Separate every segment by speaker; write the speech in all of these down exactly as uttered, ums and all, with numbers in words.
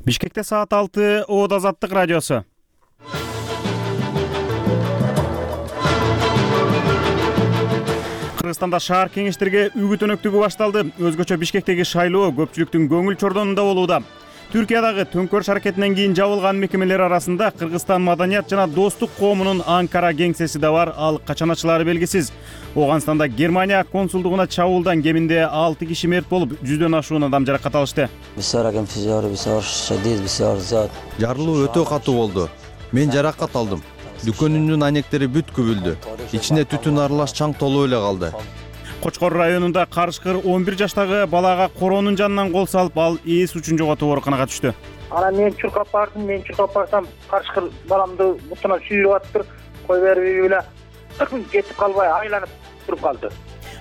Speaker 1: Бишкекте саат алты, Оот Азаттык радиосу. Кыргызстанда шаар кеңештерге үгүт өнөктүгү башталды. Өзгөчө Бишкектеги шайлоо көпчүлүктүн көңүл чордонунда болууда. Түркиядагы төңкөрүш аракетинен кийин жабылган мекемелер арасында Кыргызстан маданият жана достук коомунун Анкара кеңсеси да бар, ал качан ачылары белгисиз. Ооганстанда Германия консулдугуна чабуулдан кеминде алты киши мерт болуп, жүздөн ашуун адам жаракат алышты.
Speaker 2: Жарылуу өтө катуу болду. Мен жаракат алдым. Дүкөнүмдүн айнектери бүт күбүлдү. Ичине түтүн аралаш чаң толуп эле калды.
Speaker 1: Кочкор районунда карышкыр он бир жаштагы балага коронун жанынан кол салып, ал эс учун жоготуп ооруканага түштү.
Speaker 3: Анан мен чуркап бардым, мен чуркап барсам, карышкыр баламды бутунан сүйрүп атып, кой берип эле кетип калбай айланып туруп калды.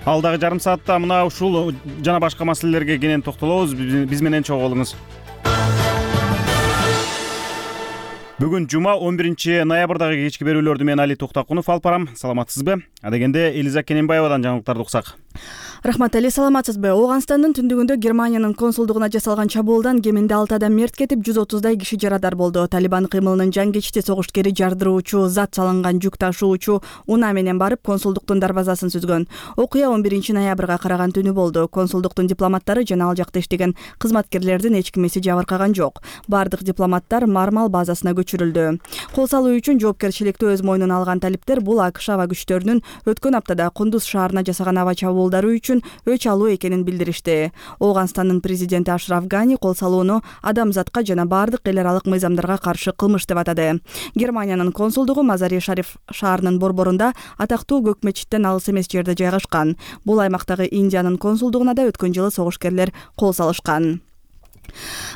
Speaker 1: Алдагы жарым саатта мына ушул жана башка маселелерге кенен токтолобуз. Биз менен чогуу болуңуз. Бүгүн жума он биринчи ноябрдагы кечки берүүлөрдү мен Али Токтакунов алып барам. Саламатсызбы? Адегенде Элиза Кененбаевадан жаңылыктарды уксак.
Speaker 4: Рахмат Али, саламатсызбы? Ооганстандын түндүгүндө Германиянын консулдугуна жасалган чабуулдан кеминде алты адам мерт кетип, жүз отуздай киши жарадар болду. Талибан кыймылынын жан согуштукери жардыруучу зат салынган жүк ташуучу унаа менен барып консулдуктун дарбазасын сүзгөн. Окуя он биринчи ноябрга караган түнү болду. Консулдуктун дипломаттары жана ал жакта иштеген кызматкерлердин эч кимиси жабыркаган жок. Бардык дипломаттар Мармал базасына көчүрүлдү. Кол салуу үчүн жоопкерчиликти өз мойнуна алган талиптер бул АКШ аба күчтөрүнүн өткөн аптада Кундуз шаарына жасаган аба чабуулдары үчүн өч алуу экенин билдиришти. Ооганстандын президенти Ашраф Гани кол салууну адамзатка жана бардык эл аралык мыйзамдарга каршы кылмыш деп атады. Германиянын консулдугу Мазари Шариф шаарынын борборунда атактуу көк мечиттен алыс эмес жерде жайгашкан. Бул аймактагы Индиянын консулдугуна да өткөн жылы согушкерлер кол салышкан.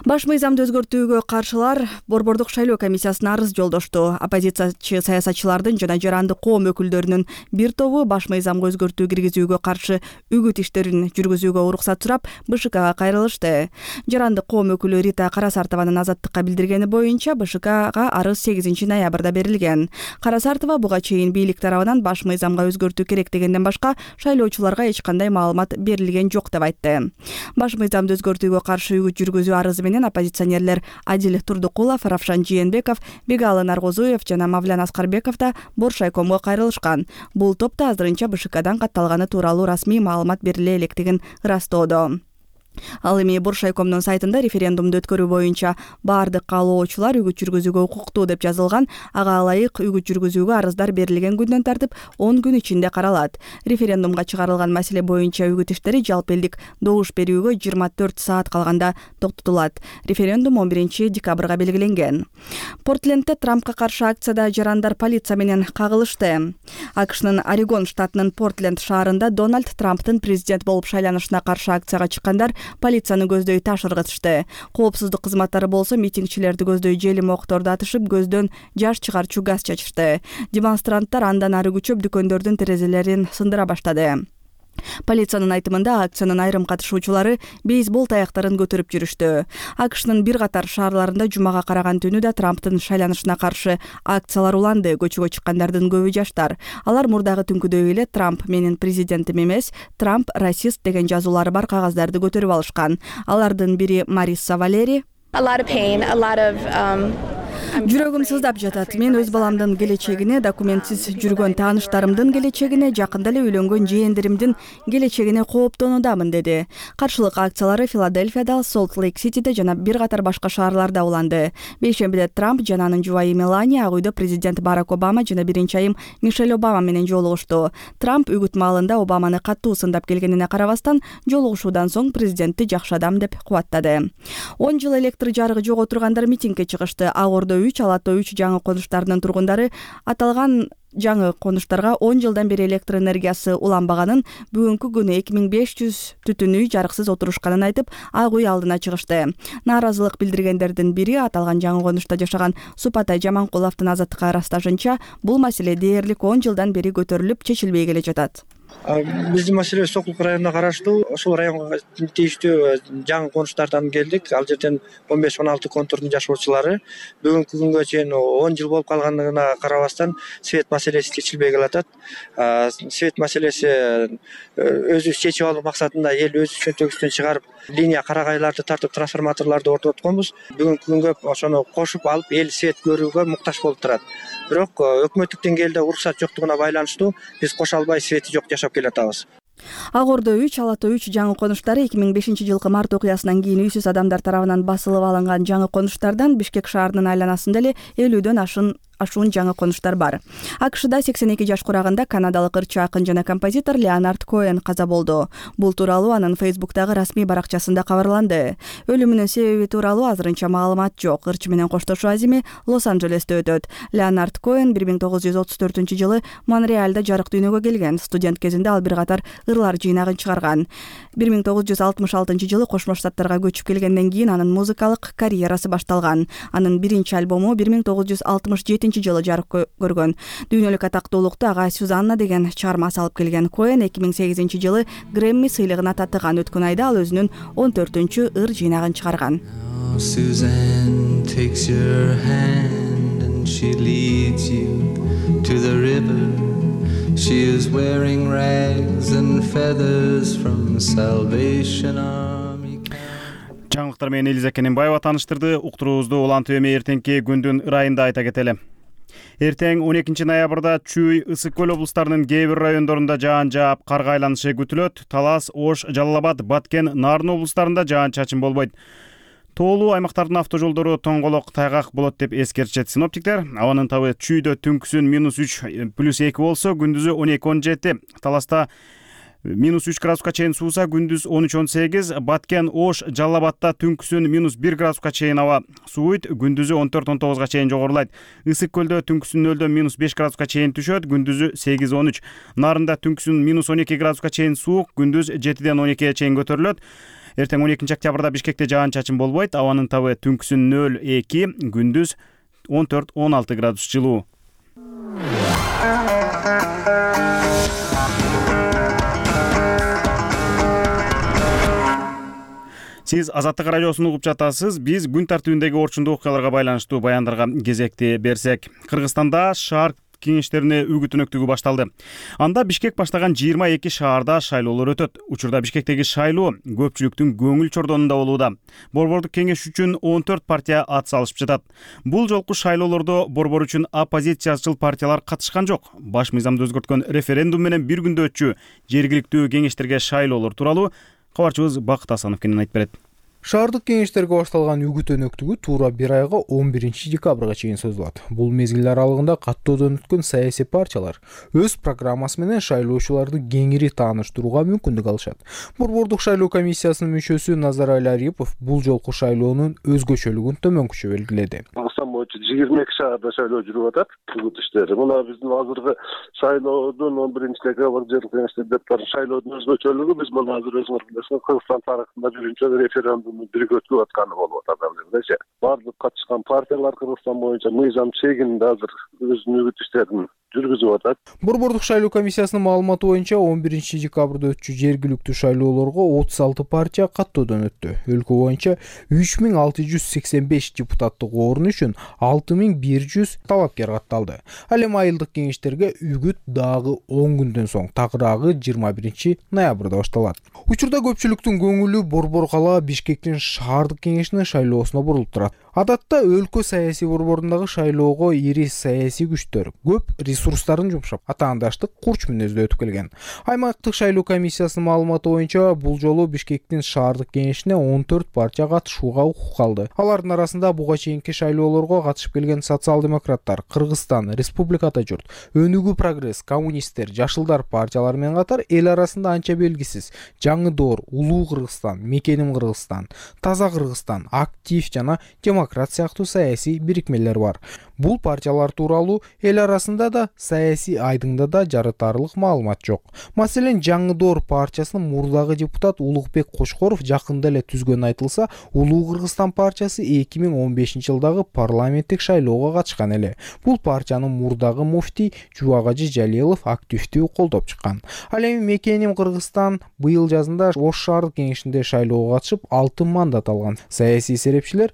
Speaker 4: Баш мыйзамды өзгөртүүгө каршылар борбордук шайлоо комиссиясына арыз жолдошту. Оппозициячы саясатчылардын жана жарандык коом өкүлдөрүнүн бир тобу баш мыйзамга өзгөртүү киргизүүгө каршы үгүт иштерин жүргүзүүгө уруксат сурап БШКга кайрылышты. Жарандык коом өкүлү Рита Карасартованын Азаттыкка билдиргени боюнча БШКга арыз сегизинчи ноябрда берилген. Карасартова буга чейин бийлик тарабынан баш мыйзамга өзгөртүү керек дегенден башка шайлоочуларга эч кандай маалымат берилген жок деп айтты. Баш мыйзамды өзгөртүүгө каршы үгүт жүргүзүү арызы менен оппозиционерлер Адил Турдукулов, Равшан Жээнбеков, Бегалы Наргозуев жана Мавлян Аскарбеков да Боршайкомго кайрылышкан. Бул топто азырынча БШКдан катталганы тууралуу расмий маалымат бериле электигин ырастоодо. Ал эми Боршайкомдун сайтында референдумду өткөрүү боюнча бардык каалоочулар үгүт жүргүзүүгө укуктуу деп жазылган. Ага ылайык үгүт жүргүзүүгө арыздар берилген күндөн тартып он күн ичинде каралат. Референдумга чыгарылган маселе боюнча үгүт иштери жалпы элдик добуш берүүгө жыйырма төрт саат калганда токтотулат. Референдум он биринчи декабрга белгиленген. Портлендте Трампка каршы акцияда жарандар полиция менен кагылышты. АКШнын Орегон штатынын Портленд шаарында Дональд Трамптын президент болуп шайланышына каршы акцияга чыккандар полицияны көздөй таш ыргытышты. Коопсуздук кызматтары болсо митингчилерди көздөй желим окторду атышып, көздөн жаш чыгарчу газ чачышты. Демонстранттар андан ары күчөп дүкөндөрдүн терезелерин сындыра баштады. Полициянын айтымында акциянын айрым катышуучулары бейсбол таяктарын көтөрүп жүрүштү. АКШнын бир катар шаарларында жумага караган түнү да Трамптын шайланышына каршы акциялар уланды. Көчөгө чыккандардын көбү жаштар. Алар мурдагы түнкүдөй эле Трамп менин президентим эмес, Трамп расист деген жазуулары бар кагаздарды көтөрүп алышкан. Алардын бири Мариса Валери. Жүрөгүм сыздап жатат. Мен өз баламдын келечегине, документсиз жүргөн тааныштарымдын келечегине, жакында эле үйлөнгөн жээндеримдин келечегине кооптонуудамын, деди. Каршылык акциялары Филадельфияда, Солт-Лейк-Ситиде жана бир катар башка шаарларда уланды. Бейшембиде Трамп жана анын жубайы Мелания Ак үйдө президент Барак Обама жана биринчи айым Мишель Обама менен жолугушту. Трамп үгүт маалында Обаманы катуу сындап келгенине карабастан, жолугушуудан соң президентти жакшы адам деп кубаттады. он жыл электр жарыгы жок отургандар митингге чыгышты. Ак Ордо үч, Алато үч жаңы конуштарынын тургундары аталган жаңы конуштарга он жылдан бери электр энергиясы уланбаганын, бүгүнкү күнү эки миң беш жүз түтүн үй жарыксыз отурушканын айтып, Ак үй алдына чыгышты. Нааразылык билдиргендердин бири аталган жаңы конушта жашаган Супатай Жаманкуловдун Азаттыкка ырасташынча, бул маселе дээрлик он жылдан бери көтөрүлүп, чечилбей келе жатат.
Speaker 5: Биздин маселе Сокулук районуна караштуу. Ошол районго тийиштүү жаңы конуштардан келдик. Ал жерден он беш он алты контурдун жашоочулары бүгүнкү күнгө чейин он жыл болуп калгандыгына карабастан свет маселеси чечилбей келатат. Свет маселеси өзүбүз чечип алуу максатында эл өз чөнтөгүбүздөн чыгарып линия карагайларды тартып трансформаторлорду орнотконбуз. Бүгүнкү күнгө ошону кошуп алып эл свет көрүүгө муктаж болуп турат. Бирок өкмөттүк деңгээлде уруксат жоктугуна байланыштуу биз кошо албай свети жок жашап келатабыз.
Speaker 4: Ак Ордо үч, Ала тоо үч жаңы конуштары эки миң бешинчи жылкы март окуясынан кийин үйсүз адамдар тарабынан басылып алынган жаңы конуштардан Бишкек шаарынын айланасында эле элүүдөн ашын ашуун жаңы конуштар бар. АКШда сексен эки жаш курагында канадалык ырчы акын жана композитор Леонард Коэн каза болду. Бул тууралуу анын Фейсбуктагы расмий баракчасында кабарланды. Өлүмүнүн себеби тууралуу азырынча маалымат жок. Ырчы менен коштошуу азими Лос-Анджелесте өтөт. Леонард Коэн бир миң тогуз жүз отуз төртүнчү жылы Монреалда жарык дүйнөгө келген. Студент кезинде ал бир катар ырлар жыйнагын чыгарган. бир миң тогуз жүз алтымыш алтынчы жылы Кошмо Штаттарга көчүп келгенден кийин анын музыкалык карьерасы башталган. Анын биринчи альбому бир миң тогуз жүз алтымыш жетинчи жылы жарык көргөн. Дүйнөлүк атактуулукту ага Сюзанна деген чыгарма салып келген. Коэн эки миң сегизинчи жылы Грэмми сыйлыгына татыган. Өткөн айда ал өзүнүн он төртүнчү ыр жыйнагын чыгарган.
Speaker 6: Suzanne takes your hand and she leads you to the river. She is wearing rags and feathers from Salvation Army.
Speaker 1: Жаңылыктар менен Элиза Кененбаева тааныштырды. Уктуруубузду улантып эми эртеңки күндүн ырайында айта кетели. Эртең он экинчи ноябрда Чүй, Ысык көл облустарынын кээ бир райондорунда жаан жаап, карга айланышы күтүлөт. Талас, Ош, Жалал Абад, Баткен, Нарын облустарында жаан-чачын болбойт. Тоолуу аймактардын автожолдору тоңголок, тайгак болот деп эскертишет синоптиктер. Абанын табы Чүйдө түнкүсүн минус үч плюс эки болсо, күндүзү он эки он жети. Таласта минус үч градуска чейин сууса, күндүз он үч он сегиз. Баткен, Ош, Жалал Абадта түнкүсүн минус бир градуска чейин аба сууйт, күндүзү он төрт он тогузга чейин жогорулайт. Ысык көлдө түнкүсүн нөлдөн минус беш градуска чейин түшөт, күндүзү сегиз он үч. Нарында түнкүсүн минус он эки градуска чейин суук, күндүз жетиден он экиге чейин көтөрүлөт. Эртең он экинчи октябрда Бишкекте жаан-чачын болбойт. Абанын табы түнкүсүн нөл эки, күндүз он төрт он алты градус жылуу. Сиз Азаттык радиосун угуп жатасыз. Биз күн тартибиндеги орчундуу окуяларга байланыштуу баяндарга кезекти берсек, Кыргызстанда шаар кеңештерине үгүт өнөктүгү башталды. Анда Бишкек баштаган жыйырма эки шаарда шайлоолор өтөт. Учурда Бишкектеги шайлоо көпчүлүктүн көңүл чордонунда болууда. Борбордук кеңеш үчүн он төрт партия ат салышып жатат. Бул жолку шайлоолордо борбор үчүн оппозициячыл партиялар катышкан жок. Баш мыйзамды өзгөрткөн референдум менен бир күндө өтчү жергиликтүү кеңештерге шайлоолор тууралуу кабарчыбыз Бакыт Асанов кенен айтып берет.
Speaker 7: Шаардык кеңештерге башталган үгүт өнөктүгү туура бир айга он биринчи декабрга чейин созулат. Бул мезгил аралыгында каттоодон өткөн саясий партиялар өз программасы менен шайлоочуларды кеңири тааныштырууга мүмкүндүк алышат. Борбордук шайлоо комиссиясынын мүчөсү Назарай Арипов бул жолку шайлоонун өзгөчөлүгүн төмөнкүчө белгиледи.
Speaker 8: Кыргызстан боюнча жыйырма эки шаарда шайлоо жүрүп атат. Үгүт иштери. Мына биздин азыркы шайлоодун он биринчи декабрда жергиликтүү кеңештер депутаттарын шайлоодун өзгөчөлүгү биз мына азыр өзүңөр билесиңер Кыргызстан тарыхында биринчи референдум бирге өткүп атканы болуп атат азырча. Бардык катышкан партиялар Кыргызстан боюнча мыйзам чегинде азыр өзүнүн үгүт иштерин жүргүзүп атат.
Speaker 7: Борбордук шайлоо комиссиясынын маалыматы боюнча он биринчи декабрда өтчү жергиликтүү шайлоолорго отуз алты партия каттоодон өттү. Өлкө боюнча үч миң алты жүз сексен беш депутаттык орун үчүн алты миң бир жүз талапкер катталды. Ал эми айылдык кеңештерге үгүт дагы он күндөн соң, такыраагы жыйырма биринчи ноябрда башталат. Учурда көпчүлүктүн көңүлү борбор кала Бишкектин шаардык кеңешинин шайлоосуна бурулуп турат. Адатта өлкө саясий борборундагы шайлоого ири саясий күчтөр көп ресурстарын жумшап, атаандаштык курч мүнөздө өтүп келген. Аймактык шайлоо комиссиясынын маалыматы боюнча бул жолу Бишкектин шаардык кеңешине он төрт партия катышууга укук алды. Алардын арасында буга чейинки шайлоолорго катышып келген социал-демократтар, Кыргызстан, Республика Ата журт, Өнүгүү прогресс, коммунисттер, Жашылдар партиялары менен катар эл арасында анча белгисиз Жаңы Доор, Улуу Кыргызстан, Мекеним Кыргызстан, Таза Кыргызстан, Актив жана Демократ сыяктуу саясий бирикмелер бар. Бул партиялар тууралуу эл арасында да саясий айдыңда да жарытарлык маалымат жок. Маселен, Жаңы Доор партиясынын мурдагы депутат Улукбек Кошкоров жакында эле түзгөнү айтылса, Улуу Кыргызстан партиясы эки миң он бешинчи жылдагы парламенттик шайлоого катышкан эле. Бул партиянын мурдагы муфтий Жубагажы Жалилов активдүү колдоп чыккан. Ал эми мекеним Кыргызстан быйыл жазында Ош шаардык кеңешинде шайлоого катышып алты мандат алган. Саясий серепчилер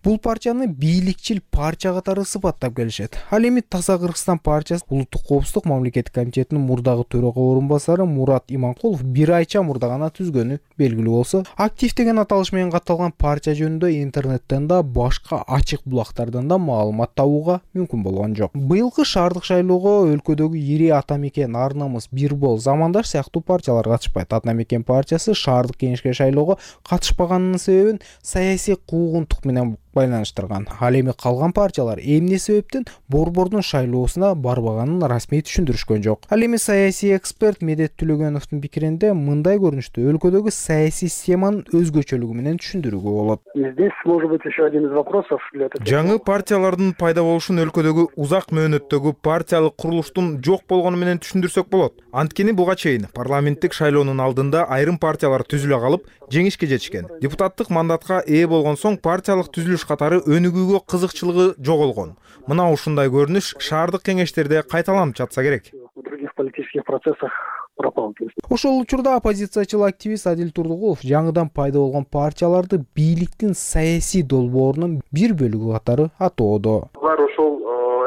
Speaker 7: бул партияны бийликчил партия катары сыпаттап келишет. Ал эми Таза Кыргызстан партиясы улуттук коопсуздук мамлекеттик комитетинин мурдагы төрага орун басары Мурат Иманкулов бир айча мурда гана түзгөнү белгилүү болсо, актив деген аталыш менен катталган партия жөнүндө интернеттен да башка ачык булактардан да маалымат табууга мүмкүн болгон жок. Быйылкы шаардык шайлоого өлкөдөгү ири Ата Мекен, Ар Намыс, Бир Бол, Замандаш сыяктуу партиялар катышпайт. Ата Мекен партиясы шаардык кеңешке шайлоого катышпаганынын себебин саясий куугунтук менен байланыштырган. Ал эми калган партиялар эмне себептен борбордун шайлоосуна барбаганын расмий түшүндүрүшкөн жок. Ал эми саясий эксперт Медет Түлөгөновдун пикиринде мындай көрүнүштө өлкөдөгү саясий системанын өзгөчөлүгү менен түшүндүрүүгө болот.
Speaker 3: Здесь может быть еще один из вопросов для этого.
Speaker 9: Жаңы партиялардын пайда болушун өлкөдөгү узак мөөнөттөгү партиялык курулуштун жок болгону менен түшүндүрсөк болот. Анткени буга чейин парламенттик шайлоонун алдында айрым партиялар түзүлө калып, жеңишке жетишкен. Депутаттык мандатка ээ болгон соң партиялык түзүлүш катары өнүгүүгө кызыкчылыгы жоголгон. Мына ушундай көрүнүш шаардык кеңештерде кайталанып жатса керек.
Speaker 3: В других политических процессах пропал.
Speaker 7: Ошол учурда оппозициячыл активист Адил Турдугулов жаңыдан пайда болгон партияларды бийликтин саясий долбоорунун бир бөлүгү катары атоодо.
Speaker 8: Булар ошол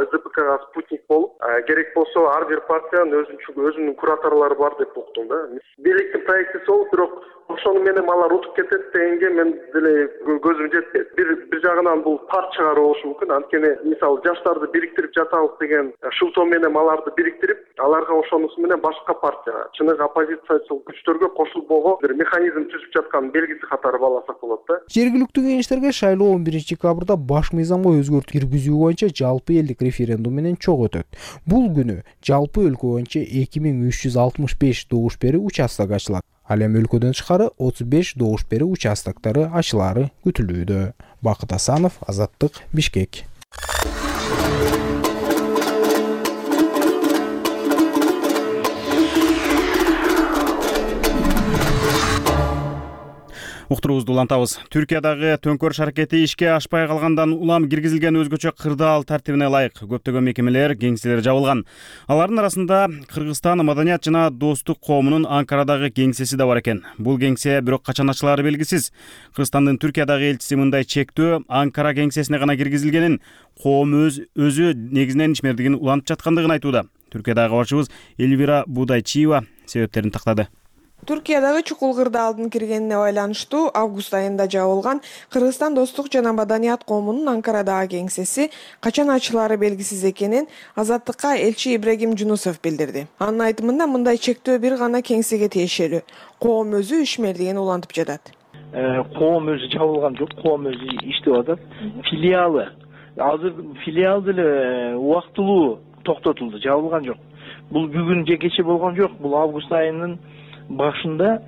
Speaker 8: СДПКга спутник болуп, керек болсо ар бир партиянын өзүнүн кураторлору бар деп уктум да. Бийликтин проектиси болуп, бирок ошону менен алар утуп кетет дегенге мен деле көзүм жетпейт. Бир бир жагынан бул парт чыгаруу болушу мүмкүн. Анткени мисалы жаштарды бириктирип жатабыз деген шылтоо менен аларды бириктирип, аларга ошонусу менен башка партия, чыныгы оппозициячыл күчтөргө кошулбого бир механизм түзүп жаткан белгиси катары бааласак болот да.
Speaker 7: Жергиликтүү кеңештерге шайлоо он биринчи декабрда баш мыйзамга өзгөртүү киргизүү боюнча жалпы элдик референдум менен чок өтөт. Бул күнү жалпы өлкө боюнча эки миң үч жүз алтымыш беш добуш берүү участок ачылат. Ал эми өлкөдөн тышкары отуз беш добуш берүү участоктары ачылаары күтүлүүдө. Бакыт Асанов, Азаттык, Бишкек.
Speaker 1: Уктуруубузду улантабыз. Түркиядагы төңкөрүш аракети ишке ашпай калгандан улам киргизилген өзгөчө кырдаал тартибине ылайык көптөгөн мекемелер, кеңселер жабылган. Алардын арасында Кыргызстан Маданият жана Достук коомунун Анкарадагы кеңсеси да бар экен. Бул кеңсе бирок качан ачылаары белгисиз. Кыргызстандын Түркиядагы элчиси мындай чектөө Анкара кеңсесине гана киргизилгенин, коом өз өзү негизинен ишмердигин улантып жаткандыгын айтууда. Түркиядагы кабарчыбыз Эльвира Будайчиева себептерин тактады.
Speaker 10: Түркиядагы чукул кырдаалдын киргенине байланыштуу август айында жабылган Кыргызстан Достук жана Маданият коомунун Анкарадагы кеңсеси качан ачылаары белгисиз экенин Азаттыкка элчи Ибрагим Жунусов билдирди. Анын айтымында мындай чектөө бир гана кеңсеге тиешелүү. Коом өзү ишмердигин улантып жатат.
Speaker 11: Коом өзү жабылган жок, коом өзү иштеп атат. Филиалы азыр филиал деле убактылуу токтотулду, жабылган жок. Бул бүгүн же кече болгон жок, бул август айынын башында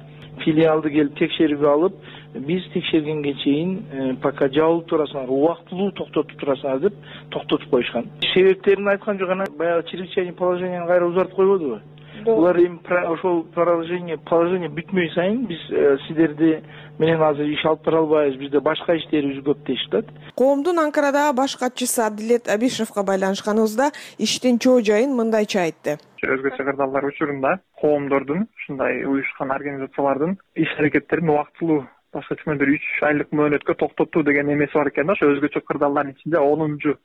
Speaker 11: филиалды келип текшерип алып, биз текшергенге чейин пока жабылып турасыңар, убактылуу токтотуп турасыңар деп токтотуп коюшкан. Себептерин айткан жок, анан баягы чрезвычайный положениени кайра узартып койбодубу? Булар эми ошол положение положение бүтмөй сайын биз сиздерди менен азыр иш алып бара албайбыз, бизде башка иштерибиз көп деп атат.
Speaker 10: Коомдун Анкарадагы баш катчысы Адилет Абишевка байланышканыбызда иштин чоо жайын мындайча айтты.
Speaker 12: Өзгөчө кырдаалдар учурунда коомдордун, ушундай уюшкан организациялардын иш-аракеттерин убактылуу башка түшүндүр үч айлык мөөнөткө токтотуу деген эмеси бар экен да. Ошо өзгөчө кырдаалдардын ичинде онунчу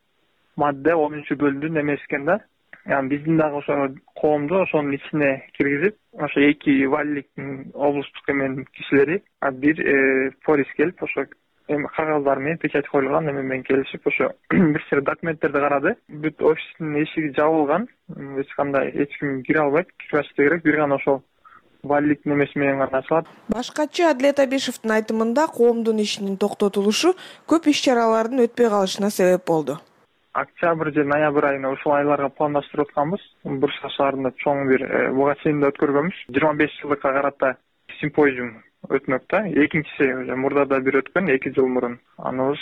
Speaker 12: мадде, онунчу бөлүмдүн эмеси экен да. Yani биздин дагы ошо коомду ошонун ичине киргизип, ошо эки валиликтин облустук эмен кишилери, бир полис келип, ошо эми кагаздар менен печать коюлган эме менен келишип, ошо бир сыйр документтерди карады. Бүт офистин эшиги жабылган, эч кандай эч ким кире албайт, кирбешти керек, бир гана ошол валиликтин эмеси менен гана ачылат.
Speaker 10: Баш катчы Адилет Абишевдин айтымында коомдун ишинин токтотулушу көп иш-чаралардын өтпөй калышына себеп болду.
Speaker 12: Октябрь же ноябрь айына ушул айларга пландаштырып атканбыз. Бурса шаарында чоң бир буга чейин да өткөргөнбүз. жыйырма беш жылдыкка карата симпозиум өтмөк да. Экинчиси мурда да бир өткөн, эки жыл мурун. Аныбыз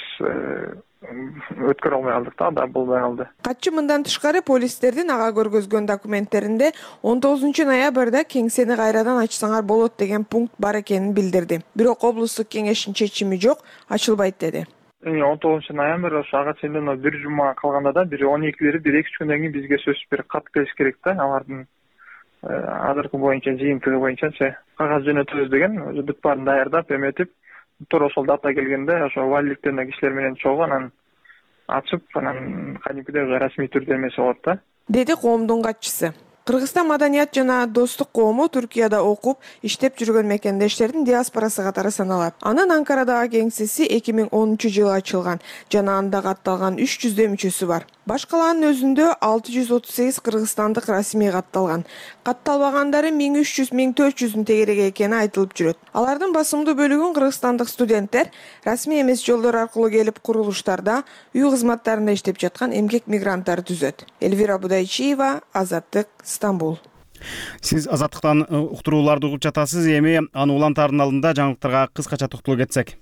Speaker 12: өткөрө албай калдык да, да болбой калды.
Speaker 10: Катчы мындан тышкары полистердин ага көргөзгөн документтеринде он тогузунчу ноябрда кеңсени кайрадан ачсаңар болот деген пункт бар экенин билдирди. Бирок облустук кеңештин чечими жок, ачылбайт деди.
Speaker 12: он тогузунчу ноябрь ошо ага чейин бир жума калганда да бир он экилери бир эки үч күндөн кийин бизге сөзсүз бир кат келиш керек да, алардын азыркы боюнча жыйынтыгы боюнчачы кагаз жөнөтөбүз деген, өзү бүт баарын даярдап эметип, туура ошол дата келгенде ошо валийликтен кишилер менен чогуу анан ачып, анан кадимкидей расмий түрдө эмеси болот да, деди
Speaker 10: коомдун катчысы. Кыргызстан маданият жана достук коому Түркияда окуп, иштеп жүргөн мекендештердин диаспорасы катары саналат. Анын Анкарадагы кеңсеси эки миң онунчу жылы ачылган жана анда катталган үч жүздөй мүчөсү бар. Баш калаанын өзүндө алты жүз отуз сегиз кыргызстандык расмий катталган. Катталбагандары миң үч жүз миң төрт жүздүн тегереги экени айтылып жүрөт. Алардын басымдуу бөлүгүн кыргызстандык студенттер расмий эмес жолдор аркылуу келип курулуштарда, үй кызматтарында иштеп жаткан эмгек мигранттары түзөт. Эльвира Будайчиева, Азаттык, Стамбул.
Speaker 1: Сиз Азаттыктан уктурууларды угуп жатасыз. Эми аны улантаардын алдында жаңылыктарга кыскача токтолуп кетсек.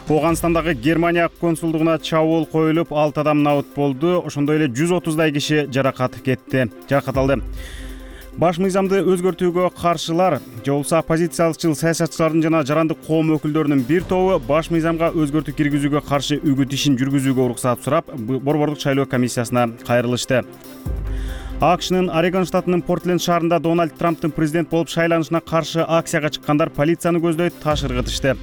Speaker 1: Оганстандагы Германия консулдугуна чабуул коюлуп, алты адам набыт болду. Ошондой эле жүз отуздай киши жаракат кетти, жаракат алды. Баш мыйзамды өзгөртүүгө каршылар, же болбосо оппозициялыкчыл саясатчылардын жана жарандык коом өкүлдөрүнүн бир тобу баш мыйзамга өзгөртүү киргизүүгө каршы үгүт ишин жүргүзүүгө уруксат сурап, борбордук шайлоо комиссиясына кайрылышты. АКШнын Орегон штатынын Портленд шаарында Дональд Трамптын президент болуп шайланышына каршы акцияга чыккандар полицияны көздөй таш ыргытышты.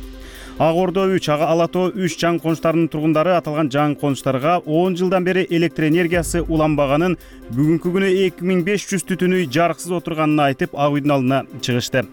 Speaker 1: Ак Ордо үч, Ага Алатоо үч жаңы конуштарынын тургундары аталган жаңы конуштарга он жылдан бери электр энергиясы уланбаганын, бүгүнкү күнү эки миң беш жүз түтүн үй жарыксыз отурганын айтып, Ак үйдүн алдына чыгышты.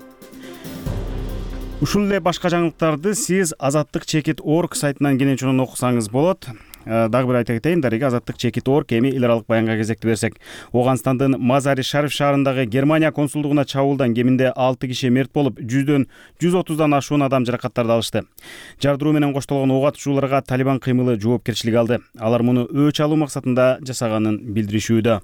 Speaker 1: Ушул эле башка жаңылыктарды сиз Азаттык чекит точка орг сайтынан кенен чонун окусаңыз болот. Дагы бир айта кетейин, дареги Азаттык чекит точка орг эми эл аралык баянга кезекти берсек. Оганстандын Мазари Шариф шаарындагы Германия консулдугуна чабуулдан кеминде алты киши мерт болуп, жүздөн жүз отуздан ашуун адам жаракаттарды алышты. Жардыруу менен коштолгон ого атышууларга Талибан кыймылы жоопкерчилик алды. Алар муну өч алуу максатында жасаганын билдиришүүдө.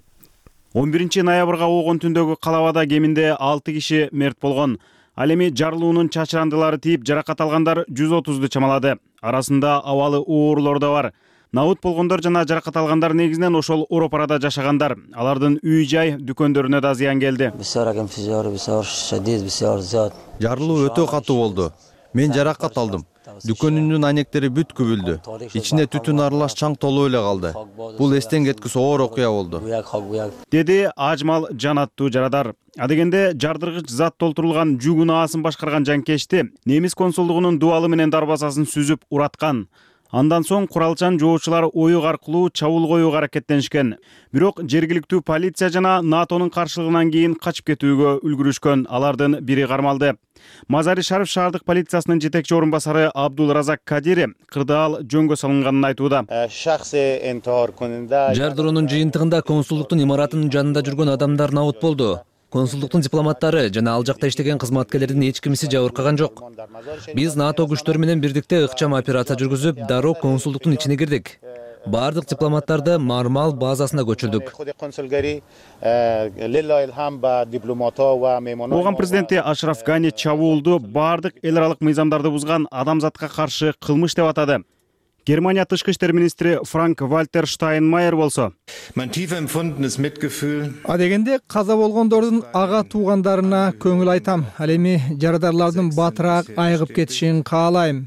Speaker 1: он биринчи ноябрга болгон түндөгү калабада кеминде алты киши мерт болгон. Ал эми жарылуунун чачырандылары тийип, жаракат алгандар жүз отузду чамалады. Арасында абалы оорлор да бар. Набыт болгондор жана жаракат алгандар негизинен ошол Оропарада жашагандар. Алардын үй-жай, дүкөндөрүнө да зыян келди.
Speaker 2: Жарылуу өтө катуу болду. Мен жаракат алдым. Дүкөнүмдүн айнектери бүт күбүлдү. Ичинде түтүн аралаш чаң толуп эле калды. Бул эстен кеткис оор окуя болду,
Speaker 1: деди Ажмал Жан аттуу жарадар. Адегенде жардыргыч зат толтурулган жүк унаасын башкарган жанкечти немис консулдугунун дубалы менен дарбазасын сүзүп ураткан. Андан соң куралчан жоочулар оюк аркылуу чабуул коюуга аракеттенишкен. Бирок жергиликтүү полиция жана НАТОнун каршылыгынан кийин качып кетүүгө үлгүрүшкөн. Алардын бири кармалды. Мазари Шариф шаардык полициясынын жетекчи орун басары Абдул Разак Кадири кырдаал жөнгө салынганын айтууда.
Speaker 13: Жардыруунун жыйынтыгында консулдуктун имаратынын жанында жүргөн адамдар набыт болду. Консулдуктун дипломаттары жана ал жакта иштеген кызматкерлердин эч кимиси жабыркаган жок. Биз НАТО күчтөрү менен бирдикте ыкчам операция жүргүзүп, дароо консулдуктун ичине кирдик. Бардык дипломаттарды Мармал базасына көчүрдүк.
Speaker 1: Ооган президенти Ашраф Гани чабуулду бардык эл аралык мыйзамдарды бузган адамзатка каршы кылмыш деп атады. Германия тышкы иштер министри Франк Вальтер Штайнмайер болсо,
Speaker 14: адегенде каза болгондордун ага туугандарына көңүл айтам. Ал эми жарадарлардын батыраак айыгып кетишин каалайм.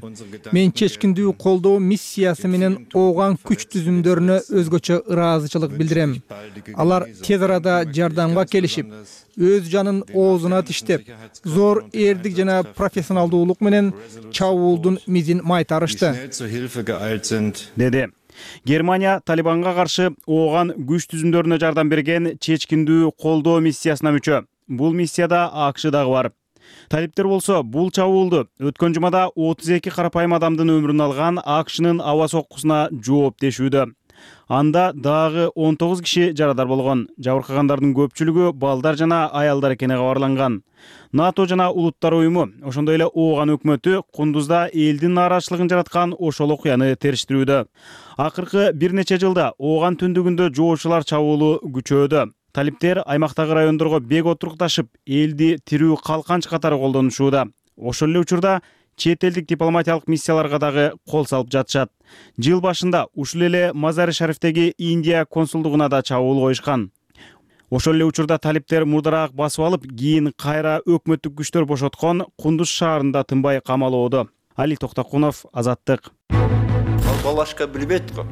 Speaker 14: Мен чечкиндүү колдоо миссиясы менен ооган күч түзүмдөрүнө өзгөчө ыраазычылык билдирем. Алар тез арада жардамга келишип, өз жанын оозуна тиштеп, зор эрдик жана профессионалдуулук менен чабуулдун мизин майтарышты,
Speaker 1: деди. Германия Талибанга каршы ооган күч түзүмдөрүнө жардам берген чечкиндүү колдоо миссиясына мүчө. Бул миссияда АКШ дагы бар. Талиптер болсо бул чабуулду өткөн жумада отуз эки карапайым адамдын өмүрүн алган АКШнын аба соккусуна жооптешүүдө. Анда дагы он тогуз киши жарадар болгон. Жабыркагандардын көпчүлүгү балдар жана аялдар экени кабарланган. НАТО жана Улуттар уюму, ошондой эле Ооган өкмөтү Кундузда элдин нааразычылыгын жараткан ошол окуяны териштирүүдө. Акыркы бир нече жылда Ооган түндүгүндө жоочулар чабуулу күчөөдө. Талиптер аймактагы райондорго бек отурукташып, элди тирүү калканч катары колдонушууда. Ошол эле учурда чет элдик дипломатиялык миссияларга дагы кол салып жатышат. Жыл башында ушул эле Мазари-Шарифтеги Индия консулдугуна да чабуул коюшкан. Ошол эле учурда талиптер мурдараак басып алып, кийин кайра өкмөттүк күчтөр бошоткон Кундуз шаарында тынбай камалоодо. Али Токтокунов, Азаттык.
Speaker 15: Балашка билбейт го.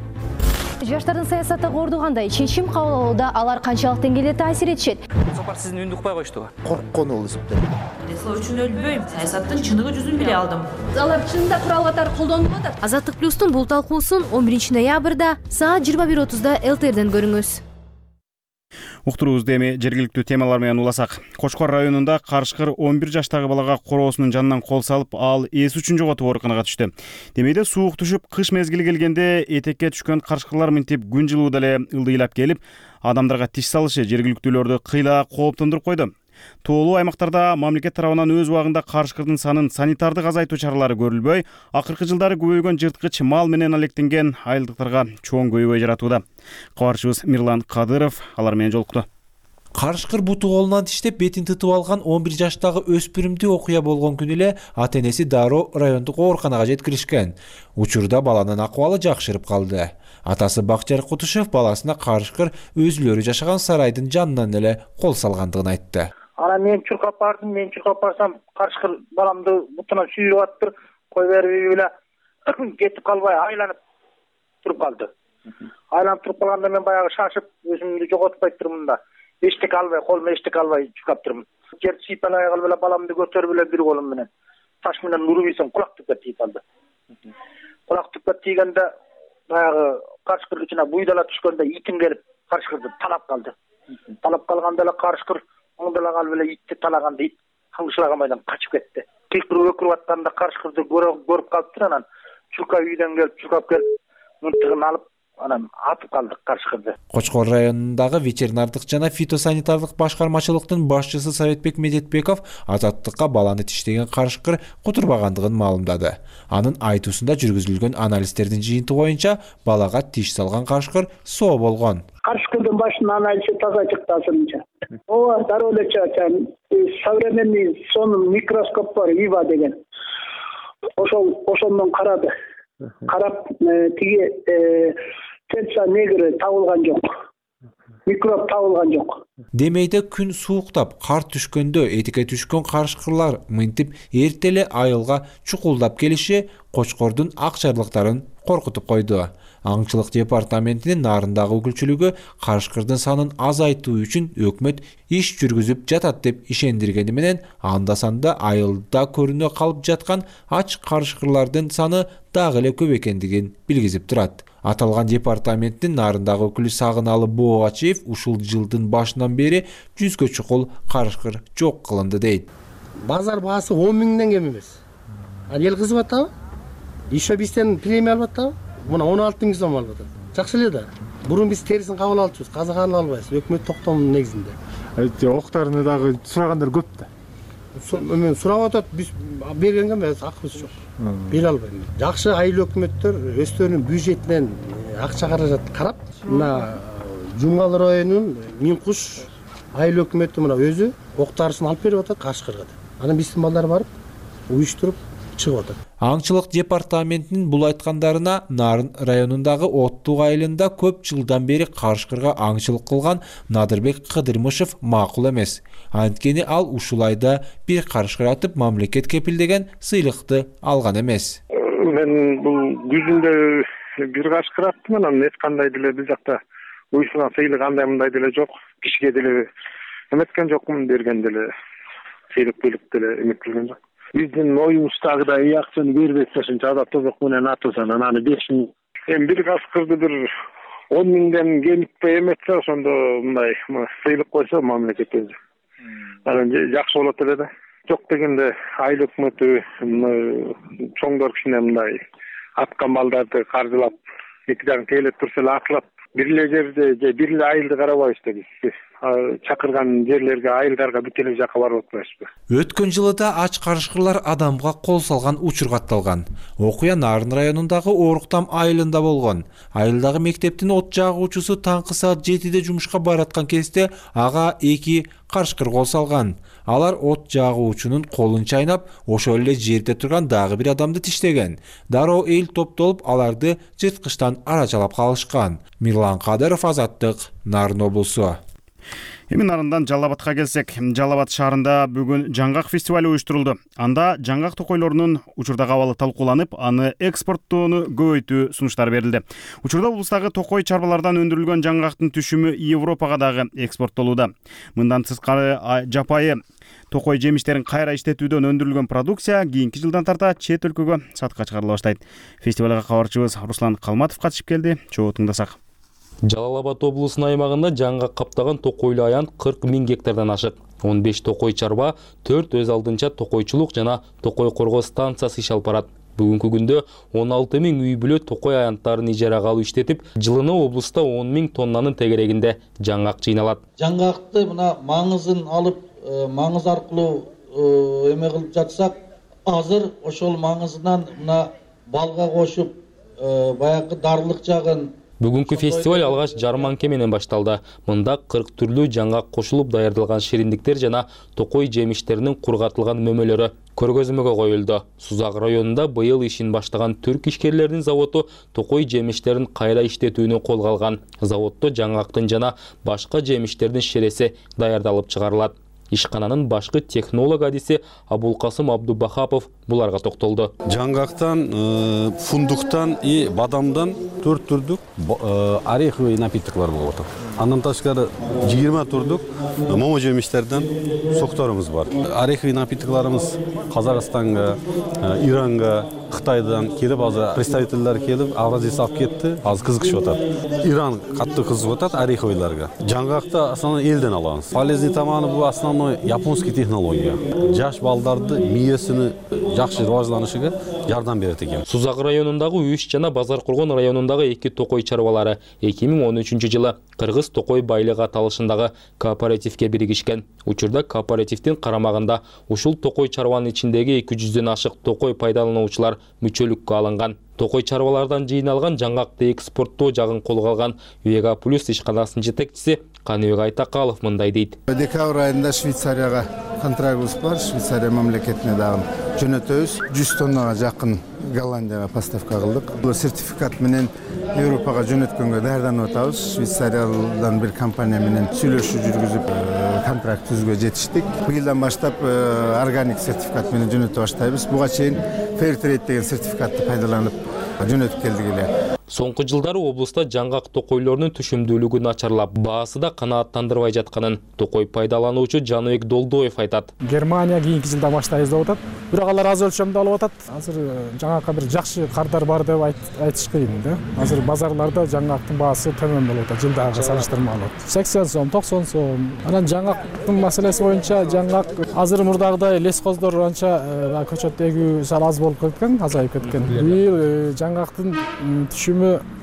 Speaker 16: Жаштардын саясаттагы орду кандай? Чечим кабыл алууда алар канчалык деңгээлде таасир этишет?
Speaker 15: Сапар сиздин үндү укпай коюшту.
Speaker 17: Корккон болуп эсептейм.
Speaker 18: Дело үчүн өлбөйм. Саясаттын чыныгы жүзүн биле алдым.
Speaker 16: Алар чынында курал катары колдонуп атат. Азаттык плюстун бул талкуусун он биринчи ноябрда саат жыйырма бир отузда эл тэ эрден көрүңүз.
Speaker 1: Уктуруубузду эми жергиликтүү темалар менен уласак. Кочкор районунда карышкыр он бир жаштагы балага короосунун жанынан кол салып, ал эс үчүн жоготуп ооруканага түштү. Демейде суук түшүп, кыш мезгили келгенде этекке түшкөн карышкырлар мынтип күн жылууда эле ылдыйлап келип, адамдарга тиш салышы жергиликтүүлөрдү кыйла кооптондуруп койду. Тоолуу аймактарда мамлекет тарабынан өз убагында карышкырдын санын санитардык азайтуу чаралары көрүлбөй, акыркы жылдары көбөйгөн жырткыч мал менен алектенген айылдыктарга чоң көйбөй жаратууда. Кабарчыбыз Мирлан Кадыров алар менен жолукту.
Speaker 19: Карышкыр буту колунан тиштеп бетин тытып алган он бир жаштагы өспүрүмдү окуя болгон күнү эле ата-энеси дароо райондук ооруканага жеткиришкен. Учурда баланын акыбалы жакшырып калды. Атасы Бакчар Кутушев баласына карышкыр өзүлөрү жашаган сарайдын жанынан эле кол салгандыгын айтты.
Speaker 3: Ана мен чуркап бардым, мен чуркап барсам, карышкыр баламды бутунан сүйрүп аттыр, кой берип эле кетип калбай айланып туруп калды. Айланып туруп калганда мен баягы шашып, өзүмдү жоготпай турмун да. Эчтек албай, колума эчтек албай чуркап турмун. Жерди сыйпалай калып эле баламды көтөрүп эле бир колум менен таш менен уруп ийсем кулак түпкө тийип калды. Кулак түпкө тийгенде баягы карышкыр ичине буйдала түшкөндө итим келип карышкырды талап калды. Талап калганда эле карышкыр оңдола калып эле итти талаганда ит каңшылаган качып кетти. Кыйкырып өкүрүп атканда карышкырды көрүп калыптыр, анан чурка үйдөн келип чуркап келип мынтыгын алып анан атып калдык карышкырды.
Speaker 19: Кочкор районундагы ветеринардык жана фитосанитардык башкармачылыктын башчысы Советбек Медетбеков Азаттыкка баланы тиштеген карышкыр кутурбагандыгын маалымдады. Анын айтуусунда жүргүзүлгөн анализдердин жыйынтыгы боюнча балага тиш салган карышкыр соо болгон.
Speaker 20: Карышкырдын башынан анализи таза чыкты азырынча. Ооба, дароо эле чыккан. Современный сонун микроскоп бар, ИВА деген. Ошол ошондон карады. Карап тиги Тенса негри табылган жок. Микроб табылган жок.
Speaker 19: Демейде күн сууктап, кар түшкөндө этикке түшкөн карышкырлар мынтип эртеле айылга чукулдап келиши Кочкордун акчарлыктарын коркутуп койду. Аңчылык департаментинин Нарындагы өкүлчүлүгү карышкырдын санын азайтуу үчүн өкмөт иш жүргүзүп жатат деп ишендиргени менен анда-санда айылда көрүнө калып жаткан ач карышкырлардын саны дагы эле көп экендигин билгизип турат. Аталган департаменттин Нарындагы өкүлү Сагыналы Боогачиев ушул жылдын башынан бери жүзгө чукул карышкыр жок кылынды дейт.
Speaker 21: Базар баасы он миңден кем эмес. Ал эл кызып атабы? Еще бизден премия алып атабы? Мына он алты миң сом алып атат. Жакшы эле да. Бурун биз терисин кабыл алчубуз, казак ала албайбыз. Өкмөт токтомунун негизинде.
Speaker 9: Октарыны дагы сурагандар көп да.
Speaker 21: Мен сурап атат, биз бергенге эмес, акыбыз жок. Бере албайм. Жакшы айыл өкмөттөр өздөрүнүн бюджетинен акча каражат карап, мына Жумгал районунун Минкуш айыл өкмөтү мына өзү октарысын алып берип атат карышкырга. Анан биздин балдар барып уюштуруп чыгып атат.
Speaker 19: Аңчылык департаментинин бул айткандарына Нарын районундагы Оттук айылында көп жылдан бери карышкырга аңчылык кылган Надырбек Кыдырмышев макул эмес. Анткени ал ушул айда бир карышкыр атып мамлекет кепилдеген сыйлыкты алган эмес.
Speaker 8: Мен бул күзүндө бир карышкыр аттым, анан эч кандай деле биз жакта уюшулган сыйлык андай мындай деле жок. Кишиге деле эметкен жокмун, берген деле сыйлык бөлүп деле эметилген жок. Биздин оюбуздагыдай акчаны бербесе ушунча ада тозок менен атылсан анан беш миң. Эми бир карышкырды бир он миңден кемитпей эметсе, ошондо мындай сыйлык койсо мамлекет өзү. Анан жакшы болот эле да. Жок дегенде айыл өкмөтү чоңдор кишине мындай аткан балдарды каржылап, эки жагын тейлеп турса эле атылат. Бир эле жерде же бир эле айылды карабайбыз да биз.
Speaker 12: чакырган жерлерге, айылдарга бүт эле жакка барып атпайбызбы?
Speaker 19: Өткөн жылы да ач карышкырлар адамга кол салган учур катталган. Окуя Нарын районундагы Оруктам айылында болгон. Айылдагы мектептин от жагуучусу таңкы саат жетиде жумушка бараткан кезде ага эки карышкыр кол салган. Алар от жагуучунун колун чайнап, ошол эле жерде турган дагы бир адамды тиштеген. Дароо эл топтолуп, аларды жырткычтан арачалап калышкан. Мирлан Кадыров, Азаттык, Нарын облусу.
Speaker 1: Эми Нарындан Жалал Абадка келсек, Жалал Абад шаарында бүгүн жаңгак фестиваль уюштурулду. Анда жаңгак токойлорунун учурдагы абалы талкууланып, аны экспорттоону көбөйтүү сунуштары берилди. Учурда облустагы токой чарбалардан өндүрүлгөн жаңгактын түшүмү Европага дагы экспорттолууда. Мындан тышкары жапайы токой жемиштерин кайра иштетүүдөн өндүрүлгөн продукция кийинки жылдан тарта чет өлкөгө сатыкка чыгарыла баштайт. Фестивалга кабарчыбыз Руслан Калматов катышып келди. Чогуу тыңдасак.
Speaker 17: Жалал Абад облусунун аймагында жаңгак каптаган токойлуу аянт кырк миң гектардан ашык. он беш токой чарба, төрт өз алдынча токойчулук жана токой коргоо станциясы иш алып барат. Бүгүнкү күндө он алты миң үй бүлө токой аянттарын ижарага алып иштетип, жылына облуста он миң тоннанын тегерегинде жаңгак жыйналат.
Speaker 22: Жаңгакты мына маңызын алып, маңыз аркылуу эме кылып жатсак, азыр ошол маңызынан мына балга кошуп, баягы дарылык жагын.
Speaker 17: Бүгүнкү фестиваль алгач жарманке менен башталды. Мында кырк түрлүү жаңгак кошулуп даярдалган шириндиктер жана токой жемиштеринин кургатылган мөмөлөрү көргөзмөгө коюлду. Сузак районунда быйыл ишин баштаган түрк ишкерлеринин заводу токой жемиштерин кайра иштетүүнү колго алган. Заводдо жаңгактын жана башка жемиштердин шереси даярдалып чыгарылат. Ишкананын башкы технолог адиси Абулкасым Абдубахапов буларга токтолду.
Speaker 23: Жаңгактан, фундуктан и бадамдан төрт түрдүк ореховый напитоклор болуп атат. Андан тышкары жыйырма түрдүк момо жемиштерден сокторубуз бар. Ореховый напитоклорубуз Казакстанга, Иранга, Кытайдан келип, азыр представительдер келип, Авразияга алып кетти. Азыр кызыгышып атат. Иран катты кызыгып атат ореховыйларга. Жаңгакты основной элден алабыз. Полезный тамагы бул основной японский технология. Жаш балдарды миесини жакшы риважланышыга жардам берет экен.
Speaker 17: Сузак районундагы Үч жана Базар Кургон районундагы эки токой чарбалары эки миң он үчүнчү жылы Кыргыз токой байлыгы аталышындагы кооперативке биригишкен. Учурда кооперативдин карамагында ушул токой чарбанын ичиндеги эки жүздөн ашык токой пайдалануучулар мүчөлүккө алынган. Токой чарбалардан жыйналган жаңгакты экспорттоо жагын колго алган Вега Плюс ишканасынын жетекчиси Каныбек Айтакалов мындай дейт.
Speaker 24: Декабрь айында Швейцарияга контрактыбыз бар. Швейцария мамлекетине дагы жөнөтөбүз. жүз тоннага жакын Голландияга поставка кылдык. Бул сертификат менен Европага жөнөткөнгө даярданып атабыз. Швейцариядан бир компания менен сүйлөшүү жүргүзүп, контракт түзүүгө жетиштик. Быйылдан баштап органик сертификат менен жөнөтө баштайбыз. Буга чейин Fairtrade деген сертификатты пайдаланып жөнөтүп келдик эле.
Speaker 17: Соңку жылдары облуста жаңгак токойлорунун түшүмдүүлүгү начарлап, баасы да канааттандырбай жатканын токой пайдалануучу Жаныбек Долдоев айтат.
Speaker 25: Германия кийинки жылда баштайбыз деп атат. Бирок алар аз өлчөмдө алып атат. Азыр жаңгакка бир жакшы кардар бар деп айтыш кыйын да. Азыр базарларда жаңгактын баасы төмөн болуп атат, жылдагыга салыштырмалуу. сексен сом, токсон сом. Анан жаңгактын маселеси боюнча жаңгак азыр мурдагыдай лескоздор анча көчөт эгүү сал аз болуп кеткен, азайып кеткен. Быйыл жаңгактын түшүмү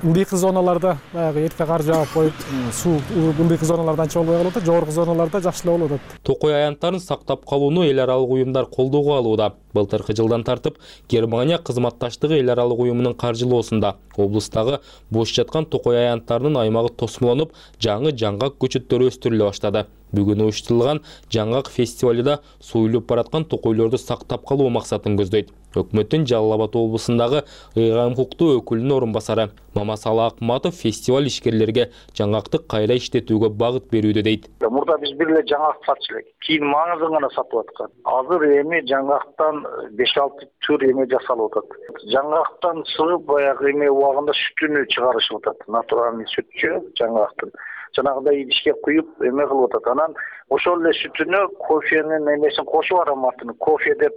Speaker 25: ылдыйкы зоналарда баягы эрте кар жаап коюп, суу ылдыйкы зоналарда анча болбой калып атат, жогорку зоналарда жакшы эле болуп атат.
Speaker 17: Токой аянттарын сактап калууну эл аралык уюмдар колдоого алууда. Былтыркы жылдан тартып Германия кызматташтыгы эл аралык уюмунун каржылоосунда облустагы бош жаткан токой аянттарынын аймагы тосмолонуп, жаңы жаңгак көчөттөрү өстүрүлө баштады. Бүгүн уюштурулган жаңгак фестивалында суюлуп бараткан токойлорду сактап калуу максатын көздөйт. Өкмөттүн Жалал Абад облусундагы ыйгам укуктуу өкүлүнүн орун басары Мамасалы Акматов фестиваль ишкерлерге жаңгакты кайра иштетүүгө багыт берүүдө дейт.
Speaker 3: Мурда биз бир эле жаңгак сатчу элек. Кийин маңызын гана сатып аткан. Азыр эми жаңгактан беш алты түр эме жасалып атат. Жаңгактан сыгып баягы эме убагында сүтүнү чыгарышып атат. Натуральный сүтчү жаңгактын. Жанагындай идишке куюп эме кылып атат. Анан ошол эле сүтүнө кофенин эмесин кошуп ароматын, кофе деп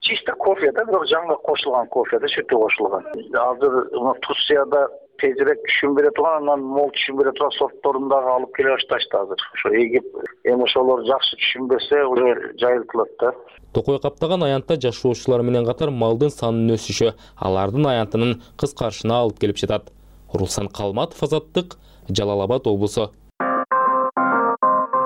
Speaker 3: чисто кофе да, бирок жаңгак кошулган кофе да, сүтү кошулган. Азыр Турцияда тезирээк түшүм бере турган, анан мол түшүм бере турган сортторун дагы алып келе башташты азыр. Ошо эгип, эми ошолор жакшы түшүм берсе, уже жайылтылат да.
Speaker 17: Токой каптаган аянтта жашоочулар менен катар малдын санынын өсүшү алардын аянтынын кыскарышына алып келип жатат. Руслан Калматов, Азаттык, Жалал Абад облусу.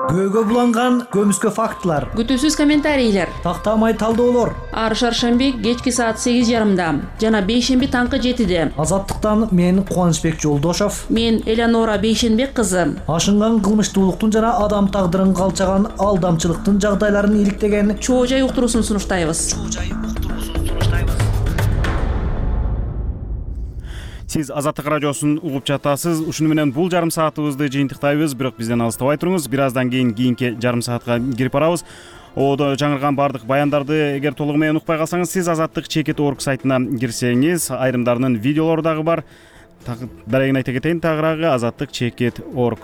Speaker 4: көөгө буланган көмүскө фактылар,
Speaker 5: күтүүсүз комментарийлер,
Speaker 4: тактамай талдоолор.
Speaker 5: ар шаршемби кечки саат сегиз жарымда жана бейшемби таңкы жетиде.
Speaker 4: Азаттыктан мен Кубанычбек Жолдошов,
Speaker 5: мен Элеонора Бейшенбек кызы.
Speaker 4: Ашынган кылмыштуулуктун жана адам тагдырын калчаган алдамчылыктын жагдайларын иликтеген
Speaker 5: чоо жай уктуруусун сунуштайбыз.
Speaker 1: Сиз Азаттык радиосун угуп жатасыз. Ушуну менен бул жарым саатыбызды жыйынтыктайбыз, бирок бизден алыстабай туруңуз. Бир аздан кийин кийинки жарым саатка кирип барабыз. Оодо жаңырган бардык баяндарды эгер толугу менен укпай калсаңыз, сиз Азаттык чекит орг сайтына кирсеңиз, айрымдарынын видеолору дагы бар. Дарегин айта кетейин, тагыраагы азаттык чекит орг.